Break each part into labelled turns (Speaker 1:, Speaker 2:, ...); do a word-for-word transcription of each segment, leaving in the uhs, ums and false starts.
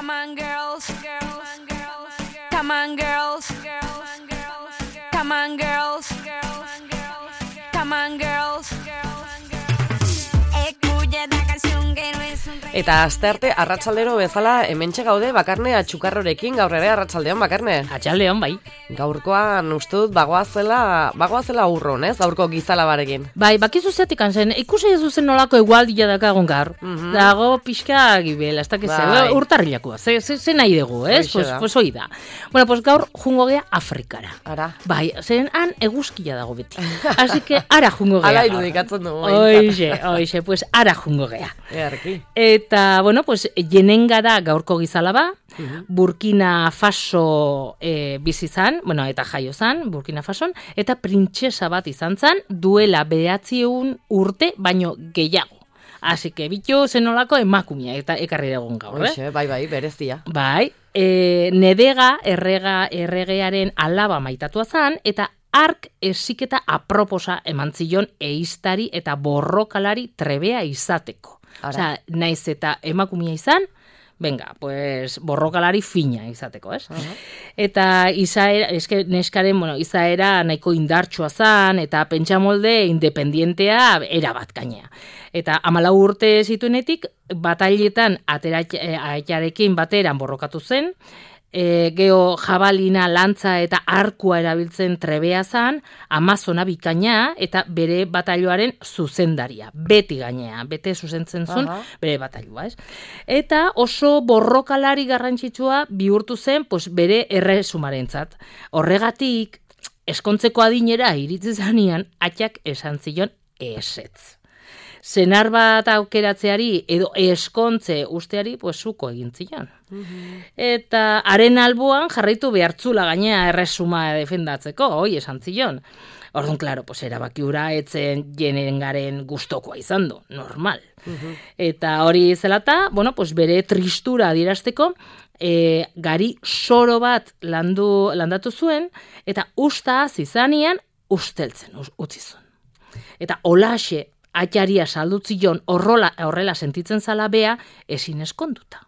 Speaker 1: Come on girls, girls, girls, come on girls, girls, girls, come on girls, girls, come on girls, girls. Escucha esta canción que no es un reggae.
Speaker 2: Eta astearte arratsaldero bezala hementxe gaude Bakarne Atxukarrorekin, gaur ere arratsaldeon Bakarne.
Speaker 3: Atxaldeon bai.
Speaker 2: Gaurkoan ustut bagoazela, bagoazela urron, ez? Gaurko gizalabarekin.
Speaker 3: Bai, bakizu zeatik zen, ikusi ez duzen nolako egualdia dakagun gaur.
Speaker 2: Mhm.
Speaker 3: Dago pixka gibel, ez dakiz,
Speaker 2: Bai.
Speaker 3: urtarrilakoa, ze, ze, ze nahi dugu, ez?
Speaker 2: Hoxe
Speaker 3: Pues,
Speaker 2: da.
Speaker 3: pues hoi da. Bueno, pues gaur jungo gea Afrikara.
Speaker 2: Ara.
Speaker 3: Bai, zen han eguzkia dago beti. Así que ara jungo gea.
Speaker 2: Ala
Speaker 3: gaur.
Speaker 2: irudikatzen dugu.
Speaker 3: Oixe, oixe, pues ara jungo gea.
Speaker 2: Earki.
Speaker 3: Eta, bueno, pues jenenga da gaurko gizalaba, Burkina Faso e, bizi zan, bueno, eta jaio zan, Burkina Fason, eta printzesa bat izan zan, duela bederatziehun urte, baino gehiago. Así que bitu zenolako emakumia eta ekarri dugun gaur, eh?
Speaker 2: Hoxe, bai, bai, berezia.
Speaker 3: Bai, e, nedega errega, erregearen alaba maitatua zan, eta ark esiketa aproposa eman zion eiztari eta borrokalari trebea izateko.
Speaker 2: Ara.
Speaker 3: Osea, naiz eta emakumia izan, venga, pues borrokalari fina izateko, ez?
Speaker 2: Aha.
Speaker 3: Eta izaera, eske neskaren, bueno, izaera nahiko indartsua zan, eta pentsamolde independientea erabat gainea. Eta hamalau urte zituenetik, batailetan aterarekin bateran borrokatu zen, e, geho jabalina, lantza eta arkua erabiltzen trebea zan, Amazona bikaina eta bere batailoaren zuzendaria. Beti gainea, bete zuzentzen zuen
Speaker 2: Aha.
Speaker 3: bere batailua, ez? Eta oso borrokalari garrantzitsua bihurtu zen, pues, bere erresumarentzat. Horregatik, eskontzeko adinera iritsi zanean, atxak esan zion esetz. Senar bat aukeratzeari edo eskontze usteari, pues, zuko egin zion. Eta haren alboan jarraitu behartzula gainea erresuma defendatzeko, hoi esan zion. Orduan, klaro, pues, erabaki hura etzen jenengaren gustokoa izan du, normal. Eta hori zelata, bueno, pues, bere tristura adierazteko, e, gari soro bat landu, landatu zuen, eta usta zizanian usteltzen us- utzi zuen. Eta olaxe atxaria saldutzion horrola, horrela sentitzen zala bea ezin eskonduta.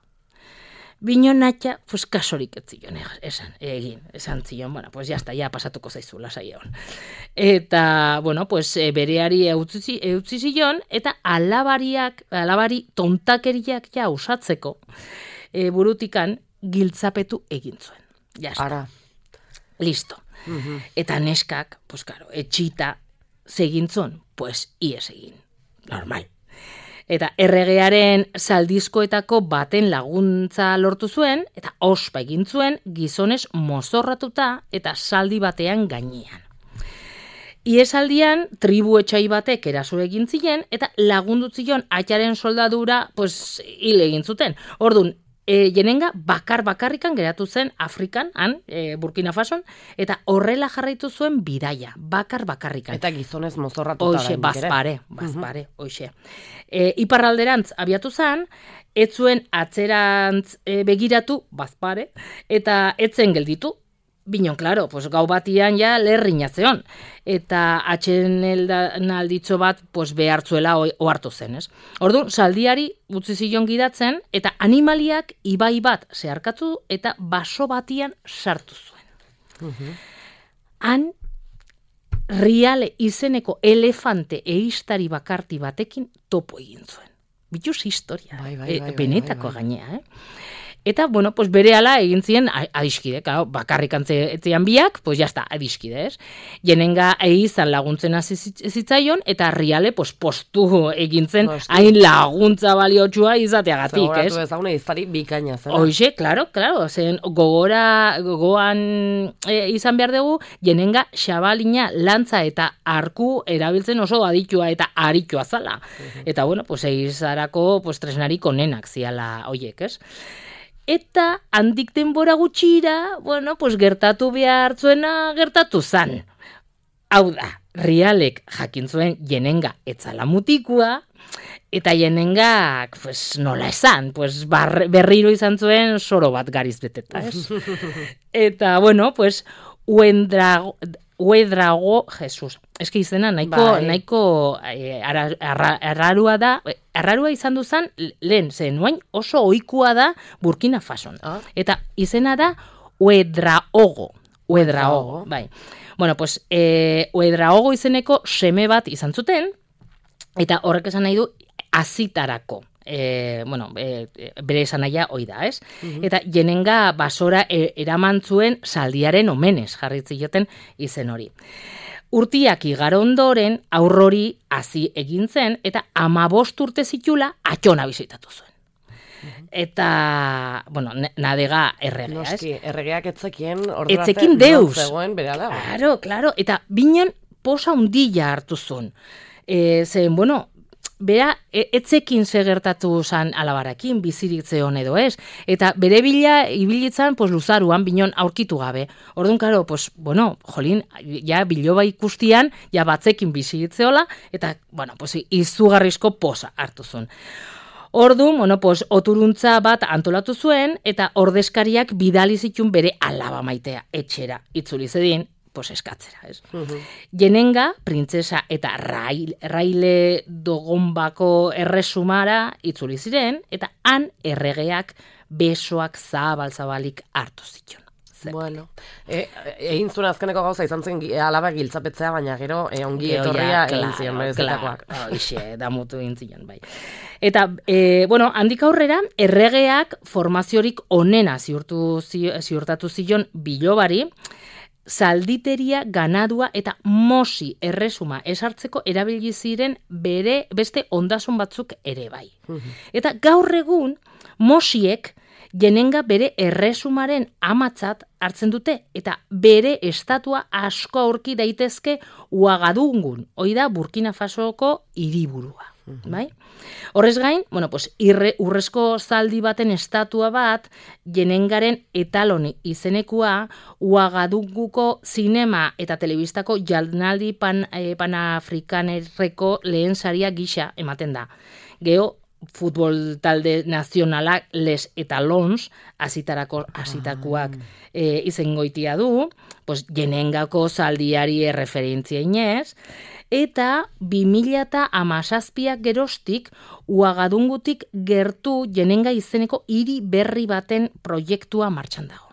Speaker 3: Bino natxa, pues kasorik ez zion esan, egin, esan zion, bueno, pues jazta, ja pasatuko zaizu, lasai egon. Eta, bueno, pues e, bereari eutzi, eutzi zion, eta alabariak, alabari tontakeriak ja usatzeko, e, burutikan giltzapetu egin zuen. Jazta,
Speaker 2: Ara.
Speaker 3: listo. Eta neskak, pues karo, etxita segintzon, pues ies egin, normal. Eta erregearen zaldizkoetako baten laguntza lortu zuen, eta ospa egin zuen gizonez mozorratuta eta zaldi batean gainean. Iesaldian, tribu etxai batek eraso egin ziren, eta lagundu zion atxaren soldadura, pues, hil egin zuten. Ordun, e, jenenga bakar bakarrikan geratu zen Afrikan, han, e, Burkina Fason, eta horrela jarraitu zuen bidaia, bakar bakarrikan.
Speaker 2: Eta gizonez mozorratuta
Speaker 3: Hoxe,
Speaker 2: oraindik ere.
Speaker 3: bazpare, bazpare, hoxe. E, iparralderantz abiatu zan, ez zuen atzerantz e, begiratu, bazpare, eta etzen gelditu. Binon, klaro, pues, gau batian ja lerrina zeon. Eta atxenalditzo bat pues, behartzuela ohartu zen, ez? Orduan, zaldiari utzi zion gidatzen, eta animaliak ibai bat zeharkatu eta baso batian sartu zuen. Han, Riale izeneko elefante eiztari bakarti batekin topo egin zuen. Bituz historia,
Speaker 2: Bai, bai, bai, bai,
Speaker 3: benetako
Speaker 2: bai, bai.
Speaker 3: gainea, eh? Eta, bueno, pues berehala egin ziren adiskide, claro, bakarrik antzean biak, pues jazta, adiskide, ez? Jenenga eizan laguntzen hasi zitzaion, eta Riale, pues, postu egin zen,
Speaker 2: Postu.
Speaker 3: hain laguntza baliotsua izateagatik, ez?
Speaker 2: Zagoratu ezagune izari bikaina zen.
Speaker 3: Hoxe, claro, claro, zen gogora, gogoan e, izan behar dugu, jenenga xabalina, lantza eta arku erabiltzen oso aditua eta aritua zala. Eta, bueno, pues, eizarako, pues, tresnarik onenak ziala hoiek, ez? Eta handik denbora gutxira, bueno, pues, gertatu behar zuena gertatu zan. Hau da, Rialek jakin zuen jenenga etzala mutikua, eta jenengak, pues, nola esan, pues, bar, berriro izan zuen soro bat gariz beteta, ez? Eta, bueno, pues, uen drago, Uedrago, Jesus, eski izena nahiko,
Speaker 2: Bai.
Speaker 3: nahiko eh, ara, arra, arrarua da, arrarua izan duzan lehen, zen nuain oso ohikoa da Burkina Fason.
Speaker 2: Ah.
Speaker 3: Eta izena da Uedraogo. Uedraogo,
Speaker 2: Uedraogo.
Speaker 3: bai. Bueno, pues, eh, Uedraogo izeneko seme bat izan zuten, eta horrek esan nahi du azitarako. E, bueno, e, bere esan nahia hoi da, ez? Eta jenenga basora e, eraman zuen zaldiaren omenez jarri zioten izen hori. Urtiak igaro ondoren aurrori hazi egin zen eta amabost urte zitula atxona bizitatu zuen. Eta, bueno, nadega erregea, ez?
Speaker 2: Noski, erregeak etzekien ordura
Speaker 3: Etzekin
Speaker 2: arte non
Speaker 3: deus.
Speaker 2: zegoen bere alaba.
Speaker 3: Claro, claro, eta binon posa hundilla hartu zuen. E, zen, bueno, bera, e, etzekin segertatu zan alabarakin, bizirik zeon edo ez. Eta bere bila, ibilitzan, pues, luzaruan, binon aurkitu gabe. Orduan, karo, pues, bueno, jolin, ja biloba ikustian, ja batzekin biziritzeola, eta, bueno, pues, izugarrizko posa hartu zuen. Orduan, bueno, pues, oturuntza bat antolatu zuen, eta ordezkariak bidali zitun bere alaba maitea, etxera, itzuli zedin, pues eskatzera, ez?
Speaker 2: Mhm.
Speaker 3: Jenenga, printzesa eta rail, raile dogonbako erresumara itzuli ziren, eta han erregeak besoak zabal-zabalik hartu zituen.
Speaker 2: Bueno, e, egin zuen azkeneko gauza izan zen gi- alaba giltzapetzea, baina gero e, ongi
Speaker 3: Gero,
Speaker 2: etorria
Speaker 3: ja,
Speaker 2: egin
Speaker 3: claro,
Speaker 2: zion berezitakoak.
Speaker 3: claro, hoxe, damutu egin zion, bai. Eta, e, bueno, handik aurrera, erregeak formaziorik onena ziurtu, zi- ziurtatu zion bilobari, zalditeria, ganadua eta mosi erresuma esartzeko erabili ziren bere beste ondasun batzuk ere bai. Eta gaur egun mosiek jenenga bere erresumaren amatzat hartzen dute eta bere estatua asko aurki daitezke Uagadungun, hoi da Burkina Fasoko hiriburua. Bai? Horrez gain, bueno, pues, irre, urrezko zaldi baten estatua bat, jenengaren etaloni izenekua, Uagadunguko zinema eta telebistako jardunaldi pan, eh, panafrikanerreko lehen saria gisa ematen da. Geo, futbol talde nazionalak Les Etalons, azitarako azitakuak e, izengoitia du, pues, jenengako zaldiari erreferentzia inez, eta bi mila hamazazpiak geroztik Uagadungutik gertu jenenga izeneko hiri berri baten proiektua martxan dago.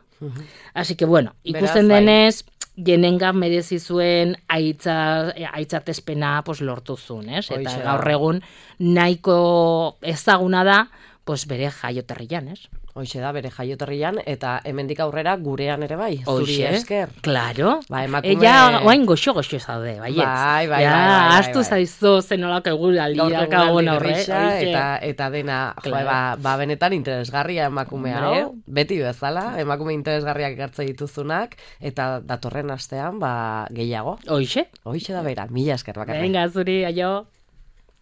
Speaker 3: Así que, bueno, ikusten
Speaker 2: Beraz, bai.
Speaker 3: denez, jenenga merezi zuen aitza, aitzatespena pues, lortu zuen, ez? Eta
Speaker 2: Hoixe da.
Speaker 3: gaur egun nahiko ezaguna da, pues, bere jaioterrian, ez?
Speaker 2: Hoixe da, bere jaioterrian, eta hemendik aurrera gurean ere bai, zuri
Speaker 3: Hoxe,
Speaker 2: esker.
Speaker 3: Claro.
Speaker 2: Ba, emakume-
Speaker 3: Ella, oain goxo-goxo zaude, baietz.
Speaker 2: Bai, bai,
Speaker 3: ja,
Speaker 2: bai, bai, bai,
Speaker 3: astu
Speaker 2: bai.
Speaker 3: zaizu zenolako eguraldiak
Speaker 2: Gaur
Speaker 3: hauen
Speaker 2: egun
Speaker 3: horre.
Speaker 2: grisa,
Speaker 3: hoxe.
Speaker 2: eta, eta dena, jo,
Speaker 3: Claro.
Speaker 2: ba, ba, benetan interesgarria emakume
Speaker 3: Hombre.
Speaker 2: hau, beti bezala, emakume interesgarriak ekartze dituzunak, eta datorren astean, ba, gehiago.
Speaker 3: Hoxe.
Speaker 2: Hoixe da bera, mila esker bakarrik.
Speaker 3: Venga, zuri, aio.